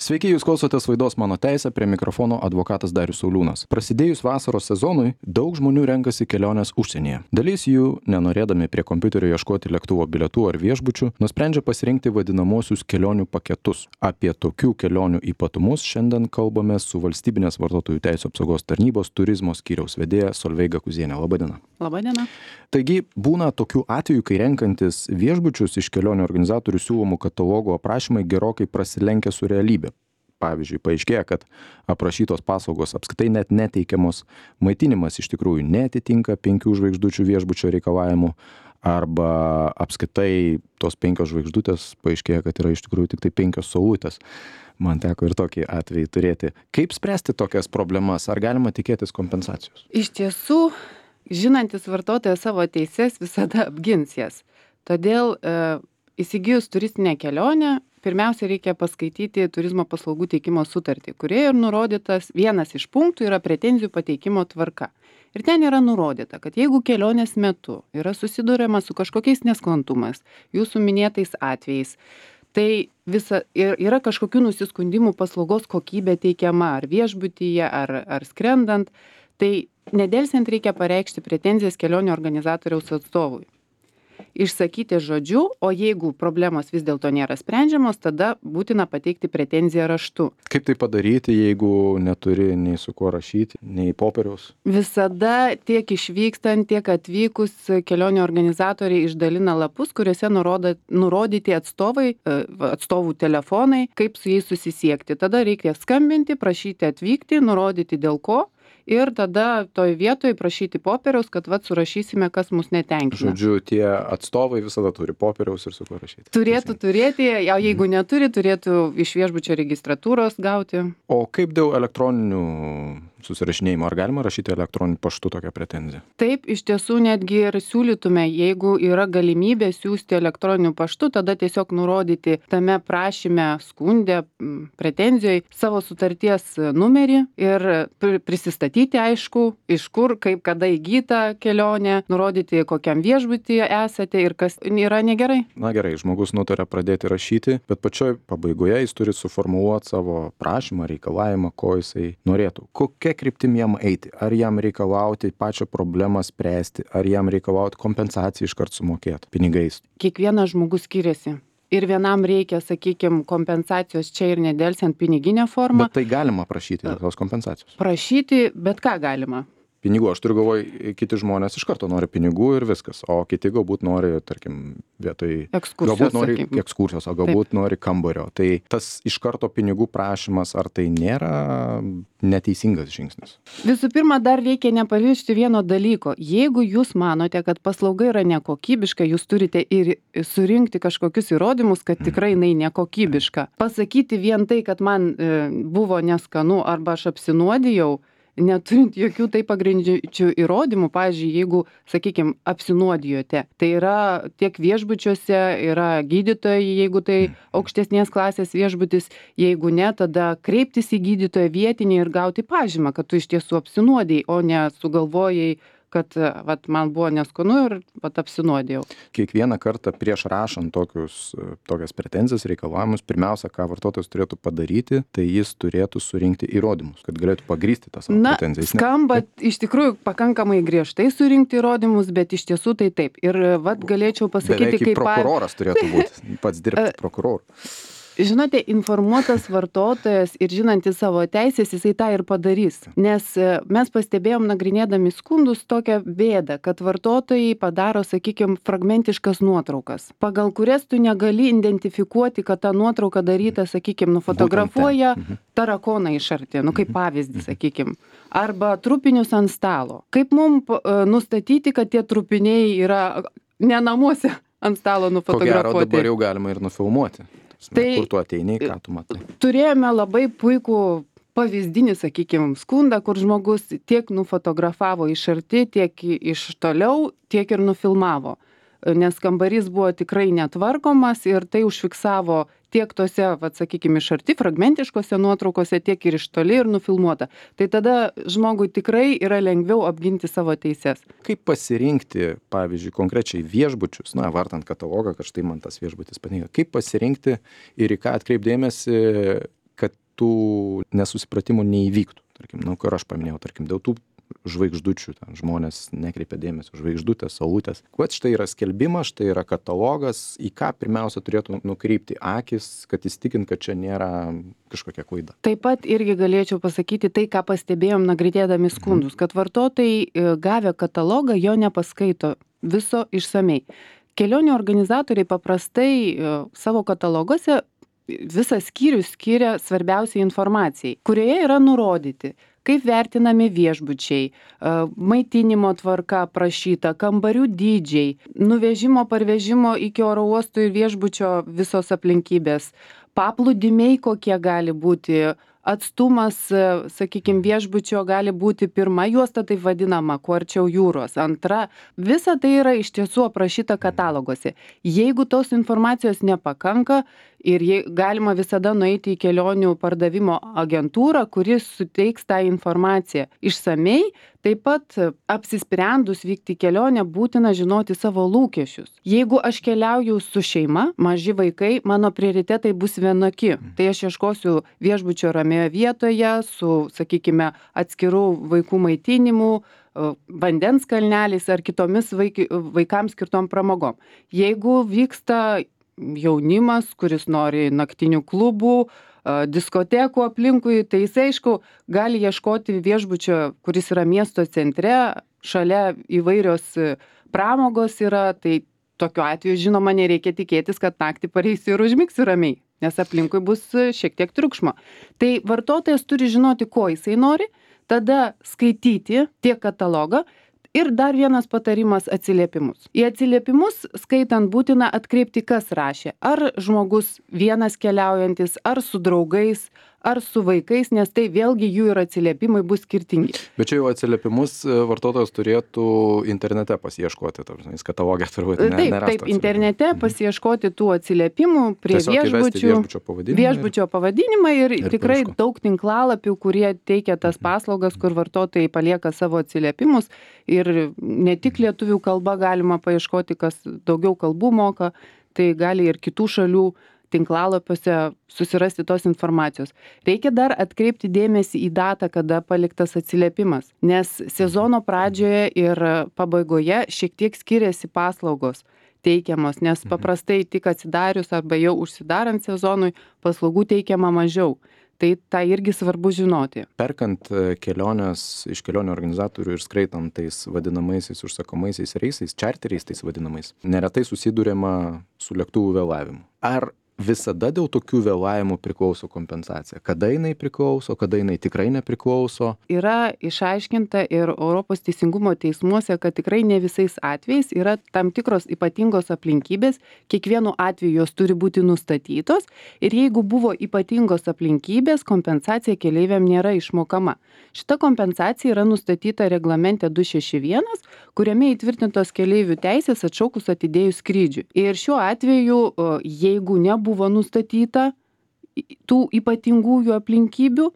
Sveiki, jūs klausotės laidos Mano teisė, prie mikrofono advokatas Darius Sauliūnas. Prasidėjus vasaros sezonui, daug žmonių renkasi keliones užsienyje. Dalis jų, nenorėdami prie kompiuterio ieškoti lėktuvo bilietų ar viešbučių, nusprendžia pasirinkti vadinamosius kelionių paketus. Apie tokių kelionių ypatumus šiandien kalbame su Valstybinės vartotojų teisių apsaugos tarnybos turizmo skyriaus vedėja Solveiga Kuzienė. Labadiena. Labadiena. Taigi, būna tokių atvejų, kai renkantis viešbučius iš kelionių organizatorių siūlomų katalogų aprašymai gerokai prasilenkia su realybė. Pavyzdžiui, paaiškėja, kad aprašytos paslaugos apskritai net neteikiamos, maitinimas iš tikrųjų neatitinka 5 žvaigždučių viešbučio reikalavimų, arba apskritai tos 5 žvaigždutės paaiškėja, kad yra iš tikrųjų tik tai 5 saulutės. Man teko ir tokį atvejį turėti. Kaip spręsti tokias problemas? Ar galima tikėtis kompensacijos? Iš tiesų, žinantis vartotojas savo teises visada apgins jas. Todėl įsigijus turistinę kelionę, pirmiausia reikia paskaityti turizmo paslaugų teikimo sutartį, kurioje ir nurodytas vienas iš punktų yra pretenzijų pateikimo tvarka. Ir ten yra nurodyta, kad jeigu kelionės metu yra susiduriama su kažkokiais nesklandumais, jūsų minėtais atvejais, tai yra kažkokių nusiskundimų paslaugos kokybė teikiama ar viešbutyje, ar skrendant, tai nedelsiant reikia pareikšti pretenzijas kelionių organizatoriaus atstovui. Išsakyti žodžiu, o jeigu problemos vis dėlto nėra sprendžiamos, tada būtina pateikti pretenziją raštu. Kaip tai padaryti, jeigu neturi nei su kuo rašyti, nei popieriaus? Visada tiek išvykstant, tiek atvykus kelionių organizatoriai išdalina lapus, kuriuose nurodyti atstovų telefonai, kaip su jais susisiekti. Tada reikia skambinti, prašyti atvykti, nurodyti dėl ko. Ir tada toj vietoj prašyti popieriaus, kad surašysime, kas mus netenkina. Žodžiu, tie atstovai visada turi popieriaus ir su kuo rašyti. Turėtų turėti, o jeigu neturi, turėtų iš viešbučio registratūros gauti. O kaip dėl elektroninių susirašinėjimo? Ar galima rašyti elektroniniu paštu tokią pretenziją? Taip, iš tiesų netgi ir siūlytume, jeigu yra galimybė siųsti elektroniniu paštu, tada tiesiog nurodyti tame prašyme, skunde, pretenzijoje savo sutarties numerį ir prisistatyti, aišku, iš kur, kaip, kada įgyta kelionė, nurodyti, kokiam viešbutyje esate ir kas yra negerai. Na gerai, žmogus nutarė pradėti rašyti, bet pačioj pabaigoje jis turi suformuluoti savo prašymą, reikalavimą, ko jisai norėtų. Kokia kryptim jam eiti? Ar jam reikalauti pačią problemą spręsti, ar jam reikalauti kompensaciją iškart sumokėti pinigais? Kiekvienas žmogus skiriasi. Ir vienam reikia, sakykime, kompensacijos čia ir nedelsiant piniginę formą. Bet tai galima prašyti tos kompensacijos? Prašyti, bet ką galima. Pinigų, aš turiu galvoj, kiti žmonės iš karto nori pinigų ir viskas, o kiti galbūt nori, tarkim, vietoj ekskursijos, galbūt nori ekskursijos, o galbūt taip nori kambario. Tai tas iš karto pinigų prašymas, ar tai nėra neteisingas žingsnis? Visų pirma, dar reikia nepamiršti vieno dalyko. Jeigu jūs manote, kad paslauga yra nekokybiška, jūs turite ir surinkti kažkokius įrodymus, kad tikrai jinai nekokybiška. Pasakyti vien tai, kad man buvo neskanu arba aš apsinuodijau, neturint jokių tai pagrindžiančių įrodymų, pavyzdžiui, jeigu, sakykime, apsinuodijote, tai yra tiek viešbučiuose, yra gydytojai, jeigu tai aukštesnės klasės viešbutis, jeigu ne, tada kreiptis į gydytoją vietinį ir gauti pažymą, kad tu iš tiesų apsinuodijai, o ne sugalvojai, kad man buvo neskanu ir apsinuodijau. Kiekvieną kartą prieš rašant tokias pretenzijas, reikalavimus, pirmiausia, ką vartotojas turėtų padaryti, tai jis turėtų surinkti įrodymus, kad galėtų pagrįsti tas savo pretenzijas. Skamba iš tikrųjų pakankamai griežtai surinkti įrodymus, bet iš tiesų tai taip. Ir galėčiau pasakyti, beveik kaip prokuroras turėtų būti, pats dirbti prokuroru. Žinote, informuotas vartotojas ir žinantis savo teisės, jisai tą ir padarys. Nes mes pastebėjom nagrinėdami skundus tokią bėdą, kad vartotojai padaro, sakykime, fragmentiškas nuotraukas, pagal kurias tu negali identifikuoti, kad ta nuotrauka daryta, sakykime, nufotografuoja tarakoną iš arti, kaip pavyzdį, sakykime, arba trupinius ant stalo. Kaip mums nustatyti, kad tie trupiniai yra ne namuose ant stalo nufotografuoti? Ko gero dabar jau galima ir nufilmuoti. Tai kur tu ateini, ką tu matai? Turėjome labai puikų pavyzdinį, sakykime, skundą, kur žmogus tiek nufotografavo iš arti, tiek iš toliau, tiek ir nufilmavo. Nes kambarys buvo tikrai netvarkomas ir tai užfiksavo tiek tose, sakykime, iš arti fragmentiškose nuotraukose, tiek ir iš toli ir nufilmuota. Tai tada žmogui tikrai yra lengviau apginti savo teises. Kaip pasirinkti, pavyzdžiui, konkrečiai viešbučius, vartant katalogą, kad štai man tas viešbutis patinka, kaip pasirinkti ir į ką atkreipdėmėsi, kad tų nesusipratimų neįvyktų. Tarkim, kur aš paminėjau, tarkim, dėl tų žvaigždučių, ten žmonės nekreipia dėmesio, žvaigždutės, saulutės. Vat štai yra skelbimas, štai yra katalogas, į ką pirmiausia turėtų nukreipti akis, kad įsitikint, kad čia nėra kažkokia klaida. Taip pat irgi galėčiau pasakyti tai, ką pastebėjom nagrinėdami skundus, kad vartotojai gavę katalogą jo nepaskaito viso išsamei. Kelionių organizatoriai paprastai savo kataloguose visą skyrių skiria svarbiausiai informacijai, kurioje yra nurodyti, kaip vertinami viešbučiai, maitinimo tvarka aprašyta, kambarių dydžiai, nuvežimo parvežimo iki oro uostų ir viešbučio visos aplinkybės, paplūdimiai kokie gali būti, atstumas, sakykime, viešbučio gali būti pirma juosta, taip vadinama, kuo arčiau jūros, antra. Visa tai yra iš tiesų aprašyta kataloguose. Jeigu tos informacijos nepakanka ir galima visada nueiti į kelionių pardavimo agentūrą, kuris suteiks tą informaciją išsamei. Taip pat apsisprendus vykti į kelionę būtina žinoti savo lūkesčius. Jeigu aš keliauju su šeima, maži vaikai, mano prioritetai bus vienokie. Tai aš ieškosiu viešbučio ramioje vietoje su, sakykime, atskirų vaikų maitinimu, vandens kalneliais ar kitomis vaikams skirtom pramogom. Jeigu vyksta jaunimas, kuris nori naktinių klubų, diskotekų aplinkui, tai jis, aišku, gali ieškoti viešbučio, kuris yra miesto centre, šalia įvairios pramogos yra, tai tokiu atveju, žinoma, nereikia tikėtis, kad naktį pareisiu ir užmigsiu ramiai, nes aplinkui bus šiek tiek triukšmo. Tai vartotojas turi žinoti, ko jisai nori, tada skaityti tiek katalogą. Ir dar vienas patarimas - atsiliepimus. Į atsiliepimus skaitant būtina atkreipti, kas rašė. Ar žmogus vienas keliaujantis, ar su draugais, ar su vaikais, nes tai vėlgi jų ir atsiliepimai bus skirtingi. Bet čia jau atsiliepimus vartotojas turėtų internete pasiieškoti, jis katalogė turbūt nerastų. Taip, internete pasiieškoti tų atsiliepimų prie viešbučio pavadinimą ir tikrai daug tinklalapių, kurie teikia tas paslaugas, kur vartotojai palieka savo atsiliepimus ir ne tik lietuvių kalba galima paieškoti, kas daugiau kalbų moka, tai gali ir kitų šalių tinklalapiuose susirasti tos informacijos. Reikia dar atkreipti dėmesį į datą, kada paliktas atsiliepimas, nes sezono pradžioje ir pabaigoje šiek tiek skiriasi paslaugos teikiamos, nes paprastai tik atsidarius arba jau užsidarant sezonui paslaugų teikiama mažiau. Tai tą irgi svarbu žinoti. Perkant keliones iš kelionių organizatorių ir skaitant tais vadinamaisiais užsakomaisiais reisais, čarteriais tais vadinamais, neretai susiduriama su lėktuvų vėlavimu. Ar visada dėl tokių vėlavimų priklauso kompensacija? Kada jinai priklauso, kada jinai tikrai nepriklauso? Yra išaiškinta ir Europos teisingumo teismuose, kad tikrai ne visais atvejais yra tam tikros ypatingos aplinkybės, kiekvienu atveju jos turi būti nustatytos ir jeigu buvo ypatingos aplinkybės, kompensacija keleiviam nėra išmokama. Šita kompensacija yra nustatyta reglamente 261, kuriame įtvirtintos keleivių teisės atšaukus atidėjus skrydžiui. Ir šiuo atveju, jeigu nebuvo nustatyta tų ypatingųjų aplinkybių,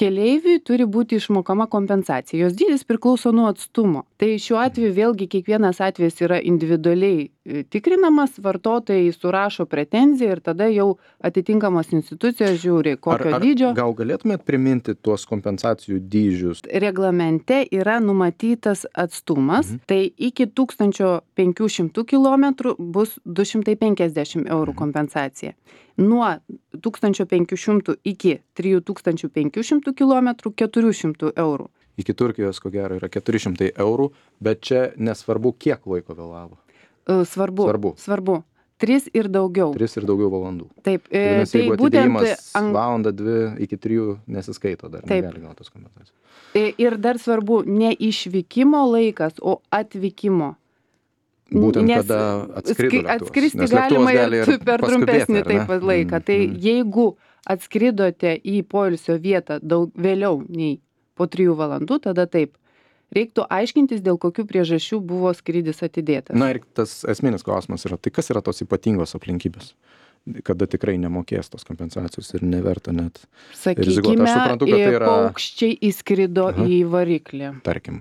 keleiviui turi būti išmokama kompensacija. Jos dydis priklauso nuo atstumo. Tai šiuo atveju vėlgi kiekvienas atvejis yra individualiai tikrinamas, vartotojai surašo pretenziją ir tada jau atitinkamos institucijos žiūri, kokio dydžio. Gal galėtumėt priminti tuos kompensacijų dydžius? Reglamente yra numatytas atstumas, tai iki 1500 km bus 250 eurų kompensacija. Nuo 1500 iki 3500 km 400 eurų. Iki Turkijos, ko gero, yra 400 eurų, bet čia nesvarbu, kiek laiko vėlavo. Svarbu. 3 ir daugiau. 3 ir daugiau valandų. Taip. Tai jeigu atidėjimas valandą, 2 iki 3 nesiskaito, dar negali gauti tos kompensacijos. Ir dar svarbu ne išvykimo laikas, o atvykimo. Būtent kada atskrido lėktuvas. Atskristi galima ir per trumpesnį taip laiką. Tai jeigu atskridote į poilsio vietą vėliau nei po 3 valandų, tada taip. Reiktų aiškintis, dėl kokių priežasčių buvo skrydis atidėtas. Na ir tas esminis klausimas yra, tai kas yra tos ypatingos aplinkybės, kada tikrai nemokės tos kompensacijos ir neverta net rizikuoti. Aš suprantu, kad tai yra... paukščiai įskrido į variklį. Tarkime,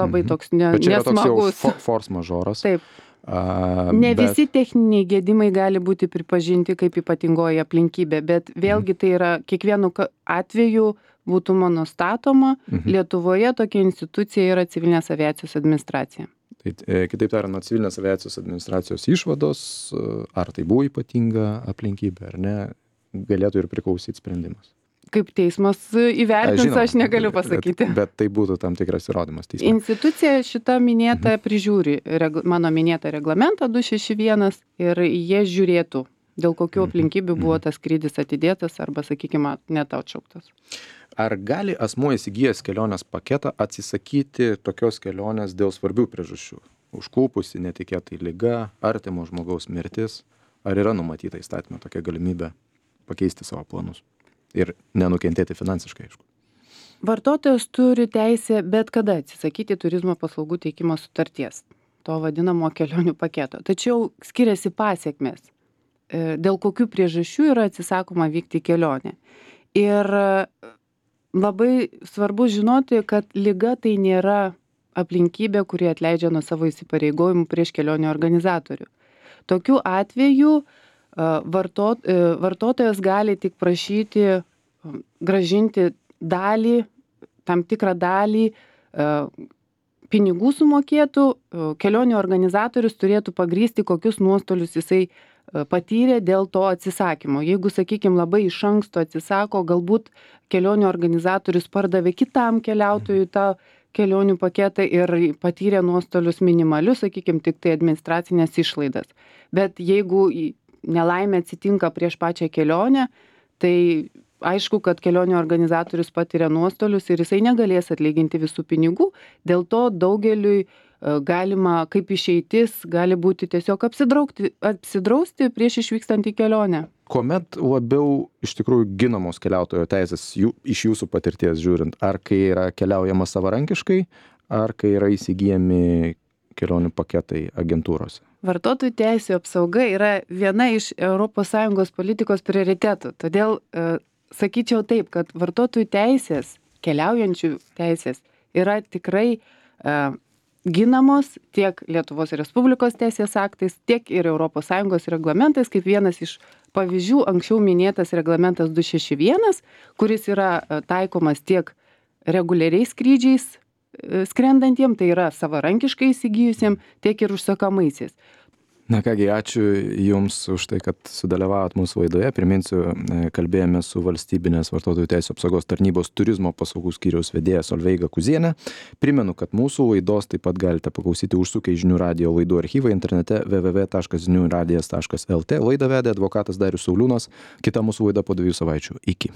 labai toks nesmagus. Bet čia yra toks jau force majoras. Taip. Ne visi techniniai gedimai gali būti pripažinti kaip ypatingoji aplinkybė, bet vėlgi tai yra kiekvienu atveju būtumo nustatoma. Lietuvoje tokia institucija yra civilinės aviacijos administracija. Tai kitaip tariant, nuo civilinės aviacijos administracijos išvados, ar tai buvo ypatinga aplinkybė ar ne, galėtų ir priklausyti sprendimas. Kaip teismas įvertins, aš negaliu pasakyti. Bet tai būtų tam tikras įrodymas teisme. Institucija šita minėta prižiūri mano minėtą reglamentą 261 ir jie žiūrėtų, dėl kokių aplinkybių buvo tas skrydis atidėtas arba, sakykime, net atšauktas. Ar gali asmuo įsigijęs kelionės paketą atsisakyti tokios kelionės dėl svarbių priežasčių? Užklupusi netikėtai liga, artimo žmogaus mirtis, ar yra numatyta įstatyme tokia galimybė pakeisti savo planus? Ir nenukentėti finansiškai, aišku. Vartotojas turi teisę bet kada atsisakyti turizmo paslaugų teikimo sutarties, to vadinamo kelionių paketo. Tačiau skiriasi pasiekmes, dėl kokių priežasčių yra atsisakoma vykti į kelionę. Ir labai svarbu žinoti, kad liga tai nėra aplinkybė, kuri atleidžia nuo savo įsipareigojimų prieš kelionių organizatorių. Tokiu atveju vartotojas gali tik prašyti grąžinti dalį, tam tikrą dalį pinigų sumokėtų, kelionių organizatorius turėtų pagrįsti, kokius nuostolius jisai patyrė dėl to atsisakymo. Jeigu, sakykime, labai iš anksto atsisako, galbūt kelionių organizatorius pardavė kitam keliautojui tą kelionių paketą ir patyrė nuostolius minimalius, sakykime, tik tai administracinės išlaidas. Bet jeigu nelaimė atsitinka prieš pačią kelionę, tai aišku, kad kelionių organizatorius patiria nuostolius ir jisai negalės atlyginti visų pinigų. Dėl to daugeliui galima, kaip išeitis, gali būti tiesiog apsidrausti prieš išvykstant į kelionę. Kuomet labiau iš tikrųjų ginamos keliautojo teisės iš jūsų patirties žiūrint, ar kai yra keliaujama savarankiškai, ar kai yra įsigijami kelionių paketai agentūrose? Vartotojų teisių apsauga yra viena iš ES politikos prioritetų. Todėl sakyčiau taip, kad vartotojų teisės, keliaujančių teisės yra tikrai ginamos tiek Lietuvos Respublikos teisės aktais, tiek ir ES reglamentais, kaip vienas iš pavyzdžių anksčiau minėtas reglamentas 261, kuris yra taikomas tiek reguliariais skrydžiais skrendantiem, tai yra savarankiškai įsigijusiem, tiek ir užsakamaisiais. Na kągi, ačiū Jums už tai, kad sudalyvavot mūsų laidoje. Priminsiu, kalbėjome su Valstybinės vartotojų teisių apsaugos tarnybos turizmo paslaugų skyriaus vedėja Solveiga Kuzienė. Primenu, kad mūsų laidos taip pat galite paklausyti užsukę į Žinių radijo laidų archyvą internete www.žiniuradijas.lt. Laidą vedė advokatas Darius Sauliūnas. Kita mūsų laida po 2 savaičių. Iki.